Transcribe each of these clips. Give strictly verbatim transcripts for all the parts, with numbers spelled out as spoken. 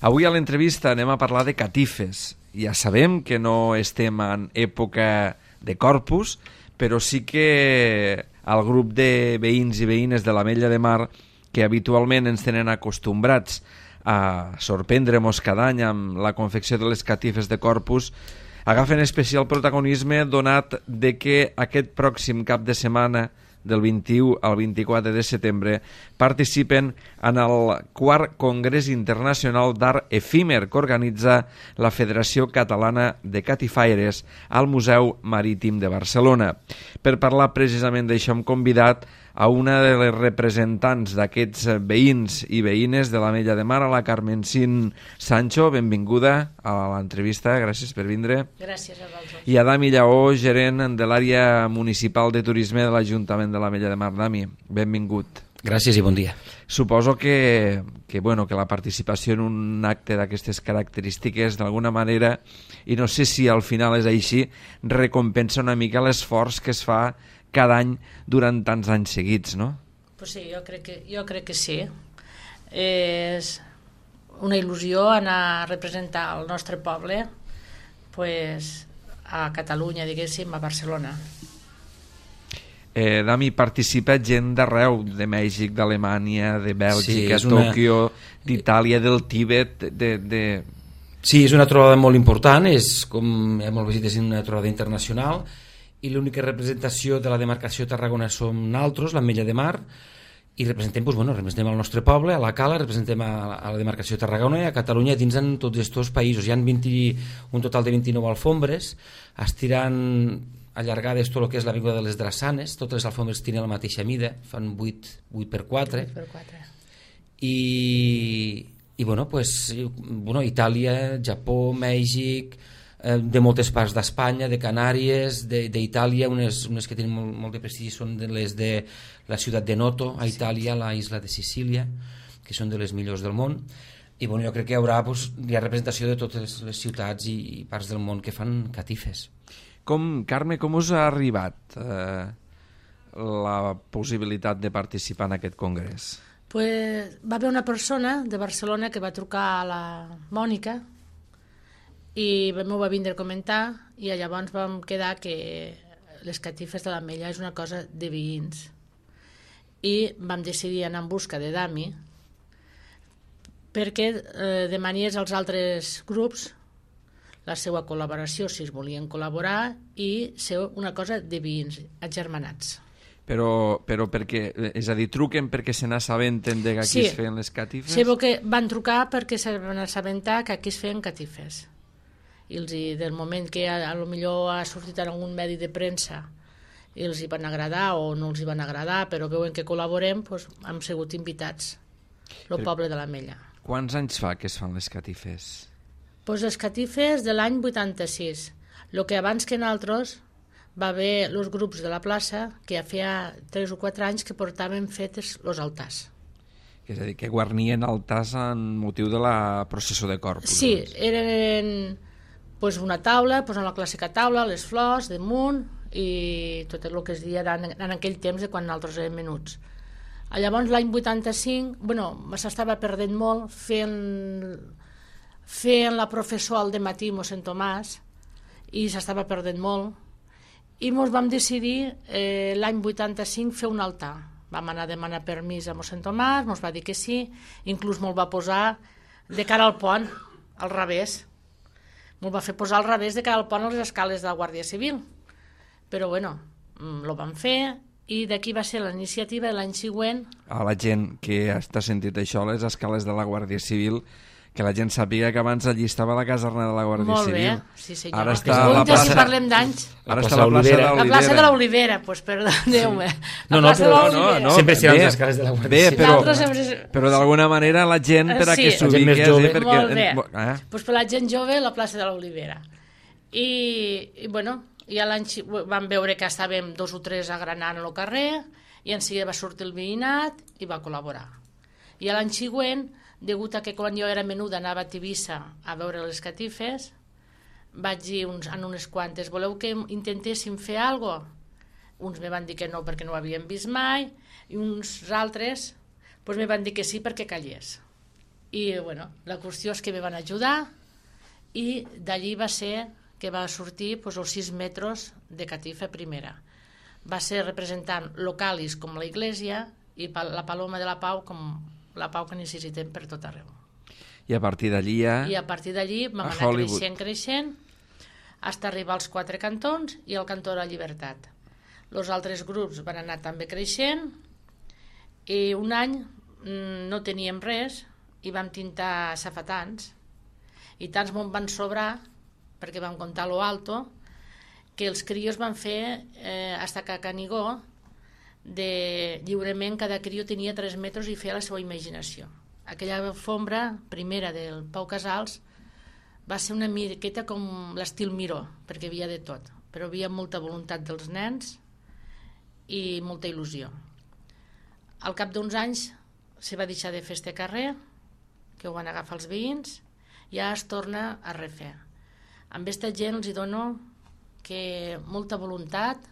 Avui a l'entrevista anem a parlar de catifes. Ja sabem que no estem en època de Corpus, però sí que el grup de veïns i veïnes de l'Ametlla de Mar, que habitualment ens tenen acostumbrats a sorprendre-nos cada any amb la confecció de les catifes de Corpus, agafen especial protagonisme donat de que aquest pròxim cap de setmana, del vint-i-u al vint-i-quatre de setembre, participen en el quart Congrés Internacional d'Art Efímer que organitza la Federació Catalana de Catifaires al Museu Marítim de Barcelona. Per parlar precisament d'això hem convidat a una de les representants d'aquests veïns i veïnes de l'Ametlla de Mar, a la Carmencín Sancho. Benvinguda a l'entrevista, gràcies per vindre. Gràcies a vosaltres. I a Dami Lleó, gerent de l'àrea municipal de turisme de l'Ajuntament de l'Ametlla de Mar. Dami, benvingut. Gràcies i bon dia. Suposo que, que, bueno, que la participació en un acte d'aquestes característiques, d'alguna manera, i no sé si al final és així, recompensa una mica l'esforç que es fa cada any durant tants anys seguits, no? Pues sí, jo crec que, jo crec que sí. És una il·lusió anar a representar el nostre poble pues, a Catalunya, diguéssim, a Barcelona. Eh, Dami, participa gent d'arreu, de Mèxic, d'Alemanya, de Bèlgica, sí, una... Tòquio, d'Itàlia, del Tíbet, de... de... Sí, és una trobada molt important, és, com hem vist, és una trobada internacional, i l'única representació de la demarcació Tarragona som nosaltres, l'Ametlla de Mar, i representem, doncs, bueno, representem el nostre poble, a la Cala, representem a, a la demarcació Tarragona i a Catalunya dins en tots aquests països. Hi ha vint, un total de vint-i-nou alfombres, estirant allargades tot el que és l'avinguda de les Drassanes, totes les alfombres tenen la mateixa mida, fan vuit per quatre, i, i bueno, pues, bueno, Itàlia, Japó, Mèxic, de moltes parts d'Espanya, de Canàries, d'Itàlia, unes, unes que tenen molt, molt de prestigi són de les de la ciutat de Noto, a Itàlia, la isla de Sicília, que són de les millors del món. I bueno, jo crec que hi haurà, pues, hi ha representació de totes les ciutats i parts del món que fan catifes. Com, Carme, com us ha arribat eh, la possibilitat de participar en aquest congrés? Pues, va haver una persona de Barcelona que va trucar a la Mònica i m'ho va vindre a comentar i llavors vam quedar que les catifes de l'Ametlla és una cosa de veïns i vam decidir anar en busca de Dami perquè eh, demanies als altres grups la seva col·laboració si es volien col·laborar i ser una cosa de veïns agermanats. Però, però perquè, és a dir, truquen perquè se n'assabenten de que aquí sí, es feien les catifes? Sí, que van trucar perquè se van assabentar que aquí es feien catifes. I els, del moment que a, a lo millor ha sortit en algun medi de premsa i els hi van agradar o no els hi van agradar, però veuen que col·laborem, doncs hem sigut invitats el poble de l'Ametlla. Quants anys fa que es fan les catifes? Pues les catifes de l'any vuitanta-sis. El que abans que nosaltres va haver els grups de la plaça que ja feia tres o quatre anys que portaven fetes els altars. És a dir, que guarnien altars en motiu de la processó de Corpus. Sí, eren pues, una taula, pues, en la clàssica taula, les flors damunt i tot el que es deia en, en aquell temps de quan nosaltres érem menuts. Llavors l'any vuitanta-cinc, bueno, s'estava perdent molt fent, fent la professó al dematí a mossèn Tomàs i s'estava perdent molt i ens vam decidir eh, l'any vuitanta-cinc fer un altar. Vam anar a demanar permís a mossèn Tomàs, ens va dir que sí, inclús me'l va posar de cara al pont, al revés. Me'l va fer posar al revés de cara al pont a les escales de la Guàrdia Civil. Però bueno, lo vam fer i d'aquí va ser la iniciativa de l'any següent. A la gent que està sentit això, les escales de la Guàrdia Civil, que la gent sàpiga que abans allí estava la caserna de la Guàrdia Molt Civil. Molt bé, sí senyor. Ara està la plaça... plaça... si parlem d'anys. Ara està la plaça de l'Olivera. La plaça de l'Olivera, doncs pues, perdoneu-me. Sí. No, no, però no, no, sempre seran les escales de la Guàrdia bé, Civil. Però, sempre... però d'alguna manera la gent, per a sí. que s'ubiqui... Sí, perquè... Molt bé. Eh? Pues per la gent jove, la plaça de l'Olivera. I, i bueno, ja l'any vam veure que estàvem dos o tres agranant al carrer i en seguida va sortir el veïnat i va col·laborar. I l'any següent, degut a que quan jo era menuda anava a Tivissa a veure les catifes, vaig dir uns, en unes quantes, voleu que intentéssim fer alguna cosa? Uns me van dir que no perquè no ho havien vist mai i uns altres pues, me van dir que sí perquè callés. I, bueno, la qüestió és que me van ajudar i d'allí va ser que va sortir pues, els sis metres de catifa primera. Va ser representant localis com la Iglesia i la Paloma de la Pau com la pau que necessitem per tot arreu. I a partir d'allí ja... I a partir d'allí vam anar Hollywood. creixent, creixent, fins a arribar als quatre cantons i al cantó de la Llibertat. Els altres grups van anar també creixent i un any no teníem res i vam tintar safetans i tants me'n van sobrar perquè vam comptar lo alto que els crios van fer eh, hasta que a Canigó de lliurement cada crió tenia tres metres i feia la seva imaginació. Aquella alfombra primera del Pau Casals va ser una miqueta com l'estil Miró, perquè hi havia de tot, però hi havia molta voluntat dels nens i molta il·lusió. Al cap d'uns anys se va deixar de fer este carrer, que ho van agafar els veïns, i ja es torna a refer. Amb aquesta gent els hi dono que molta voluntat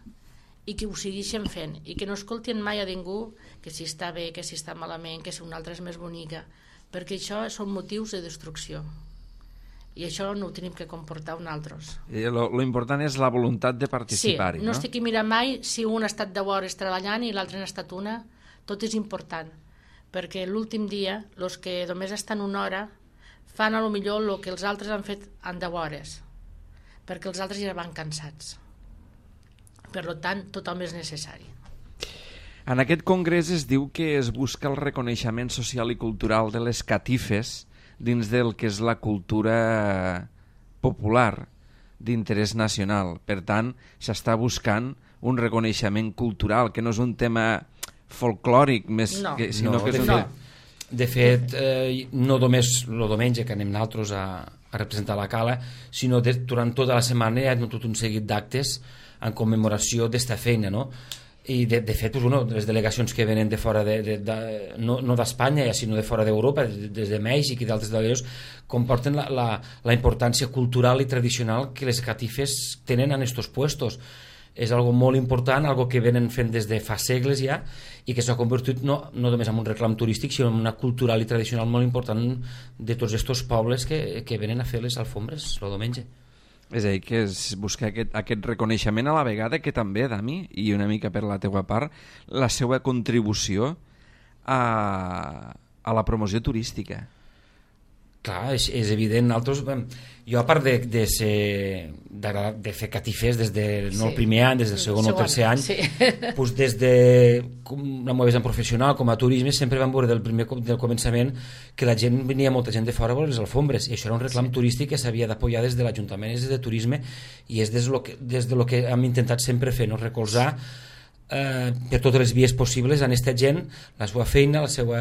i que ho segueixen fent i que no escoltin mai a ningú que si està bé, que si està malament, que si una altra és més bonica, perquè això són motius de destrucció i això no ho tenim que comportar un altres. Lo, lo important és la voluntat de participar-hi, sí, no? no? estic mirant mai si un ha estat deu hores treballant i l'altre n'ha estat una, tot és important, perquè l'últim dia els que només estan una hora fan a lo millor el que els altres han fet en deu hores, perquè els altres ja van cansats. Per tant, tothom és necessari. En aquest congrés es diu que es busca el reconeixement social i cultural de les catifes dins del que és la cultura popular d'interès nacional. Per tant, s'està buscant un reconeixement cultural, que no és un tema folclòric, més no. que, sinó no, que és un... no. De fet, eh, no només el diumenge que anem nosaltres a, a representar la Cala, sinó de, durant tota la setmana hi ha tot un seguit d'actes en commemoració d'esta feina, no? I de, de fet, pues, bueno, les delegacions que venen de fora de, de, de, no, no d'Espanya, sinó de fora d'Europa, des de Mèxic i d'altres delegacions, comporten la, la, la importància cultural i tradicional que les catifes tenen en estos puestos. És algo molt important, algo que venen fent des de fa segles ja i que s'ha convertit no, no només en un reclam turístic sinó en una cultural i tradicional molt important de tots aquests pobles que, que venen a fer les alfombres el diumenge. És a dir, que es busca aquest, aquest reconeixement a la vegada que també, Dami, i una mica per la teua part, la seva contribució a, a la promoció turística. Clar, és, és evident. Nosaltres, jo, a part de, de, ser, de, de fer catifes des de no sí. el primer any, des del segon o tercer any, sí. pues des de la meva vessant professional com a turisme sempre vam veure del primer del començament que la gent venia molta gent de fora a veure les alfombres i això era un reclam sí. turístic que s'havia d'apoyar des de l'Ajuntament, des de turisme i és des de lo que, des de lo que hem intentat sempre fer, no? Recolzar Eh, per totes les vies possibles en aquesta gent, la seva feina, la seva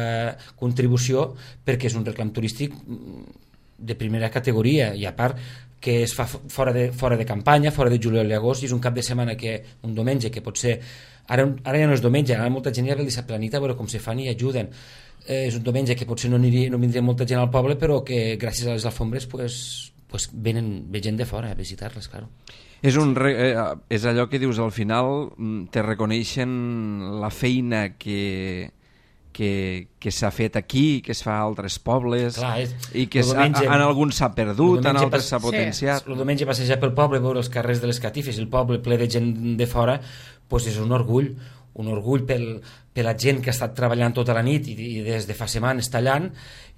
contribució, perquè és un reclam turístic de primera categoria i a part que es fa fora de, fora de campanya, fora de juliol i agost, i és un cap de setmana que un diumenge que pot ser, ara, ara ja no és diumenge, ara molta gent ja ve el dissabte a la nit a veure com se fan i ajuden. Eh, és un diumenge que potser no, aniria, no vindria molta gent al poble però que gràcies a les alfombres pues, pues venen ve gent de fora a visitar-les, claro. És, un re, eh, és allò que dius, al final te reconeixen la feina que, que, que s'ha fet aquí, que es fa a altres pobles. Clar, és, i que diumenge, en alguns s'ha perdut, en altres s'ha potenciat. Sí. El diumenge passejar pel poble, veure els carrers de les catifes, el poble ple de gent de fora, pues és un orgull, un orgull pel, per la gent que ha estat treballant tota la nit i, i des de fa setmanes tallant,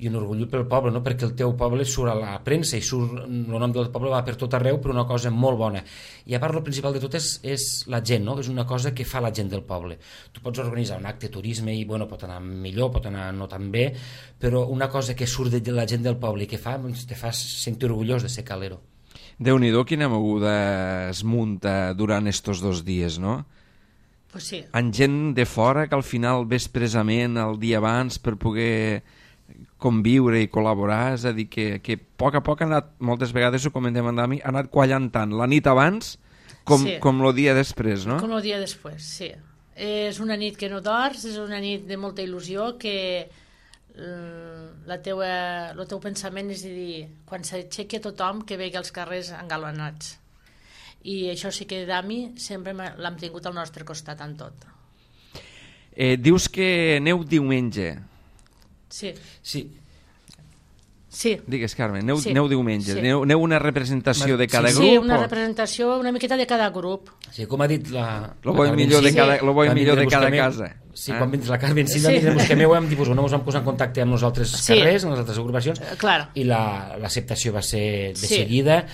i un orgull pel poble, no? Perquè el teu poble surt a la premsa i surt, el nom del poble va per tot arreu per una cosa molt bona. I a part el principal de tot és, és la gent, no? És una cosa que fa la gent del poble. Tu pots organitzar un acte de turisme i bueno, pot anar millor, pot anar no tan bé, però una cosa que surt de la gent del poble i que fa, doncs, te fa sentir orgullós de ser calero. Déu-n'hi-do quina moguda es munta durant estos dos dies, no? Pues sí. En gent de fora que al final ve expressament el dia abans per poder conviure i col·laborar, és a dir, que, que a poc a poc ha anat, moltes vegades ho comentem amb Dami, ha anat quallant tant la nit abans com, sí. com el dia després, no? Com el dia després, sí. És una nit que no dors, és una nit de molta il·lusió que la teua, el teu pensament és a dir, quan s'aixequi tothom que vegi els carrers engalanats. I això sí que Dami sempre l'hem tingut al nostre costat en tot. Eh, dius que aneu diumenge. Sí. Sí. Sí. Digues, Carme, aneu, Sí. aneu diumenge, Sí. aneu, aneu una representació de cada Sí, grup? Sí, una o- representació una miqueta de cada grup. Sí, com ha dit la... Lo bo i la millor de Carmen cada, Cini, lo bo i van millor de vindre a cada buscar-me- casa. Sí, Eh? quan vindre la Carmen Cini, Sí. van vindre a buscar meu, hem dit, pues, no, ens vam posar en contacte amb els altres Sí. carrers, amb les altres agrupacions, Eh, clar. i la- l'acceptació va ser de Sí. seguida.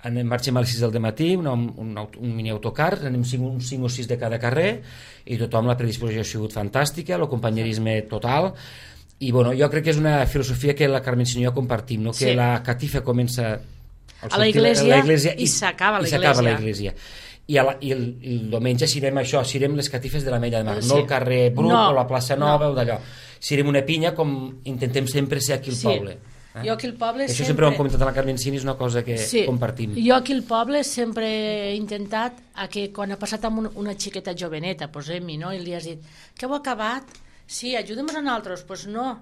Anem, marxem a les sis del matí, un, un, aut- un mini autocar, anem cinc, uns cinc o sis de cada carrer, i tothom, la predisposició ha sigut fantàstica, el companyerisme total, i bueno, jo crec que és una filosofia que la Carmen Cini i jo compartim, no? Que Sí. la catifa comença al A la sortir iglesia a la iglesia i s'acaba a la i s'acaba a la iglesia. iglesia. I, a la, i el, el diumenge sirem això, sirem les catifes de la Mella de Mar, Sí. no el carrer Brut No, o la plaça Nova no. o d'allò. Sirem una pinya com intentem sempre ser aquí al Sí. poble. Eh? Jo aquí al poble Això sempre... sempre ho hem comentat a la Carmen Cini, és una cosa que Sí. compartim. Jo aquí al poble sempre he intentat a que quan ha passat amb un, una xiqueta joveneta, posem-hi, no? I li has dit, que heu acabat? Sí, ajudem-nos a nosaltres. Doncs pues no,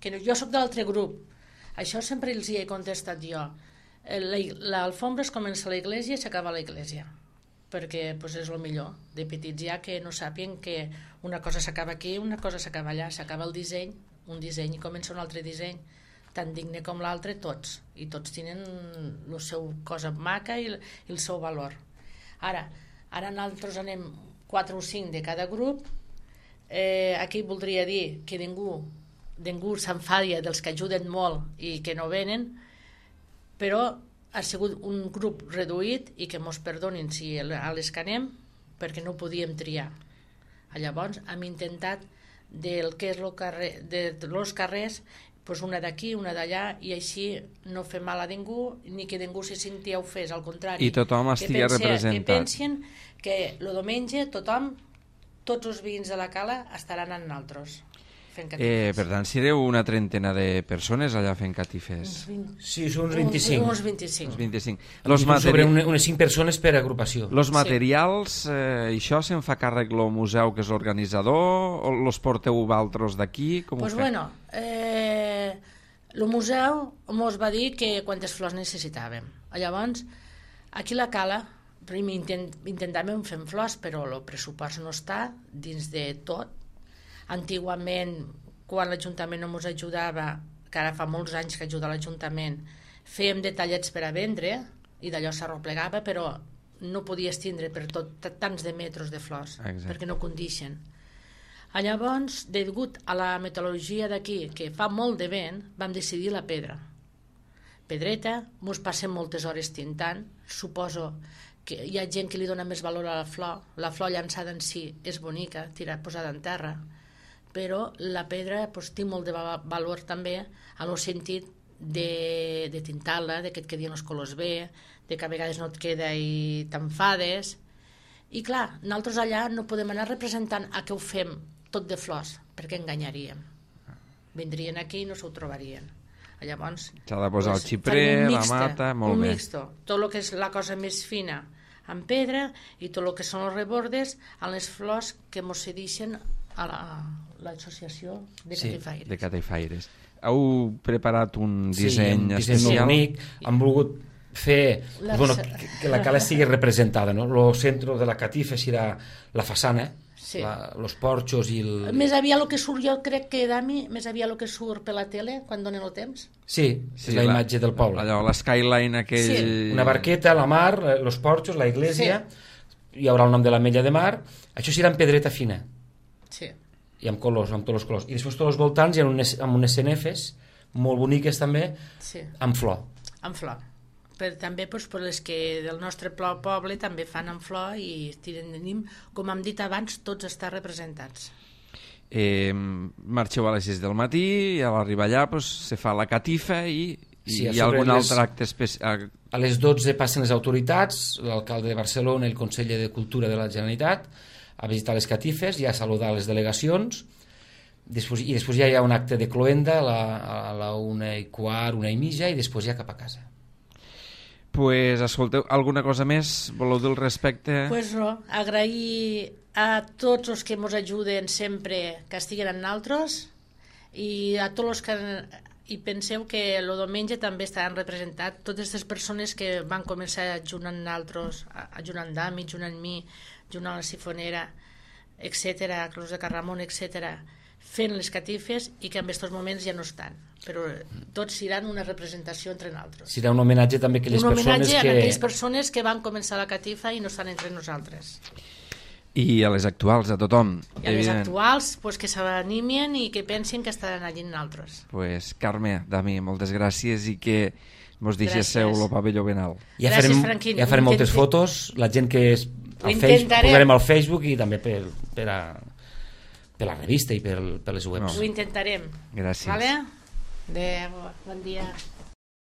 que no, jo sóc de l'altre grup. Això sempre els hi he contestat jo. Eh, la- L'alfombra es comença a l'església i s'acaba a l'església, perquè pues, és el millor de petits ja que no sàpien que una cosa s'acaba aquí, una cosa s'acaba allà, s'acaba el disseny, un disseny i comença un altre disseny, tan digne com l'altre, tots, i tots tenen la seva cosa maca i, i el seu valor. Ara, ara nosaltres anem quatre o cinc de cada grup. Eh, aquí voldria dir que ningú, ningú s'enfadia dels que ajuden molt i que no venen, però ha sigut un grup reduït i que mos perdonin si a les que anem, perquè no ho podíem triar. Llavors hem intentat del que és el carrer, de los carrers, pues una d'aquí, una d'allà, i així no fer mal a ningú, ni que ningú se senti ofès, al contrari. I tothom Que estigui pense- representat. Que pensin que el diumenge tothom, tots els veïns de la cala estaran amb nosaltres, fent Eh, catifes. per tant, sereu una trentena de persones allà fent catifes. Uns vint- Sí, són uns vint-i-cinc. Uns, uns vint-i-cinc. Uns vint-i-cinc. Los Los, sobre materi... una, unes cinc persones per agrupació. Los Sí. materials, eh, això se'n fa càrrec el museu, que és l'organitzador, o los porteu vosaltres d'aquí? Com Pues ho feu? bueno, eh, el museu mos va dir que quantes flors necessitàvem. Llavors, aquí a la cala, primer intent, intentàvem fer flors, però el pressupost no està dins de tot. Antigament, quan l'Ajuntament no ens ajudava, que ara fa molts anys que ajuda l'Ajuntament, fèiem detallets per a vendre, i d'allò s'arroplegava, però no podies tindre per tot tants de metres de flors, Exacte. perquè no condixen. Llavors, degut a la meteorologia d'aquí, que fa molt de vent, vam decidir la pedra. Pedreta, mos passem moltes hores tintant, suposo que hi ha gent que li dona més valor a la flor, la flor llançada en si és bonica, tirada, posada en terra, però la pedra pues, té molt de va- valor també en el sentit de, de tintar-la, de que et quedin els colors bé, de que a vegades no et queda i t'enfades. I clar, nosaltres allà no podem anar representant a què ho fem tot de flors, perquè enganyaríem. Vindrien aquí i no s'ho trobarien. Llavors, S'ha de posar el farem xiprer, un la mixte, mata, molt un bé. mixto. Tot el que és la cosa més fina en pedra i tot el que són els rebordes en les flors que mos cedixen a la- l'associació de Sí, Catifaires. De Catifaires. Heu preparat un disseny un disseny especial? molt bonic. Han volgut fer La- bueno, que, que la cala estigui representada, no? El centre de la catifa serà la façana, Sí. la, los porxos i el... Més aviat el que surt, jo crec que, Dami, més aviat el que surt per la tele quan donen el temps. Sí, sí, és la, imatge del poble. Allò, l'eskyline aquell... Sí. Una barqueta, la mar, eh, los porxos, la iglesia, hi haurà el nom de la Mella de Mar, això serà en pedreta fina, Sí. i amb colors, amb tots els colors. I després tots els voltants hi ha unes, amb unes cenefes molt boniques també, Sí, amb flor. amb flor. Per, també doncs, per les que del nostre plo- poble també fan amb flor i tenim, com hem dit abans, tots estar representats. Eh, marxeu a les sis del matí i a l'arribar allà pues, se fa la catifa i, i Sí, a hi ha sobre algun les- altre acte especial. A les dotze passen les autoritats, l'alcalde de Barcelona i el conseller de Cultura de la Generalitat, a visitar les catifes i a saludar les delegacions. Després, I després ja hi ha un acte de cloenda a la, a la una i quart, una i mitja, i després ja cap a casa. Pues, escolteu, alguna cosa més voleu dir al respecte? Pues no, agrair a tots els que ens ajuden sempre que estiguen amb nosaltres i a tots els que i penseu que el diumenge també estaran representats totes les persones que van començar junt amb nosaltres, junt amb Dami, junt amb mi, junt amb la Sifonera, etcètera, Cruz de Carramon, etcètera, fent les catifes i que en aquests moments ja no estan, però tots seran una representació entre nosaltres. Serà un homenatge també a aquelles un persones homenatge que... a aquelles persones que van començar la catifa i no estan entre nosaltres. I a les actuals, a tothom. I a les actuals, pues, que s'animen i que pensin que estaran allí en nosaltres. Pues, Carme, Dami, moltes gràcies i que mos deixéssiu el pavelló ben alt. Ja Gràcies, farem, Franquín. ja farem moltes Intent... fotos, la gent que és al Ho Facebook, intentarem. posarem al Facebook i també per, per, a, per la revista i per, per les webs. Ho intentarem. Gràcies. Vale? Adéu, bon dia.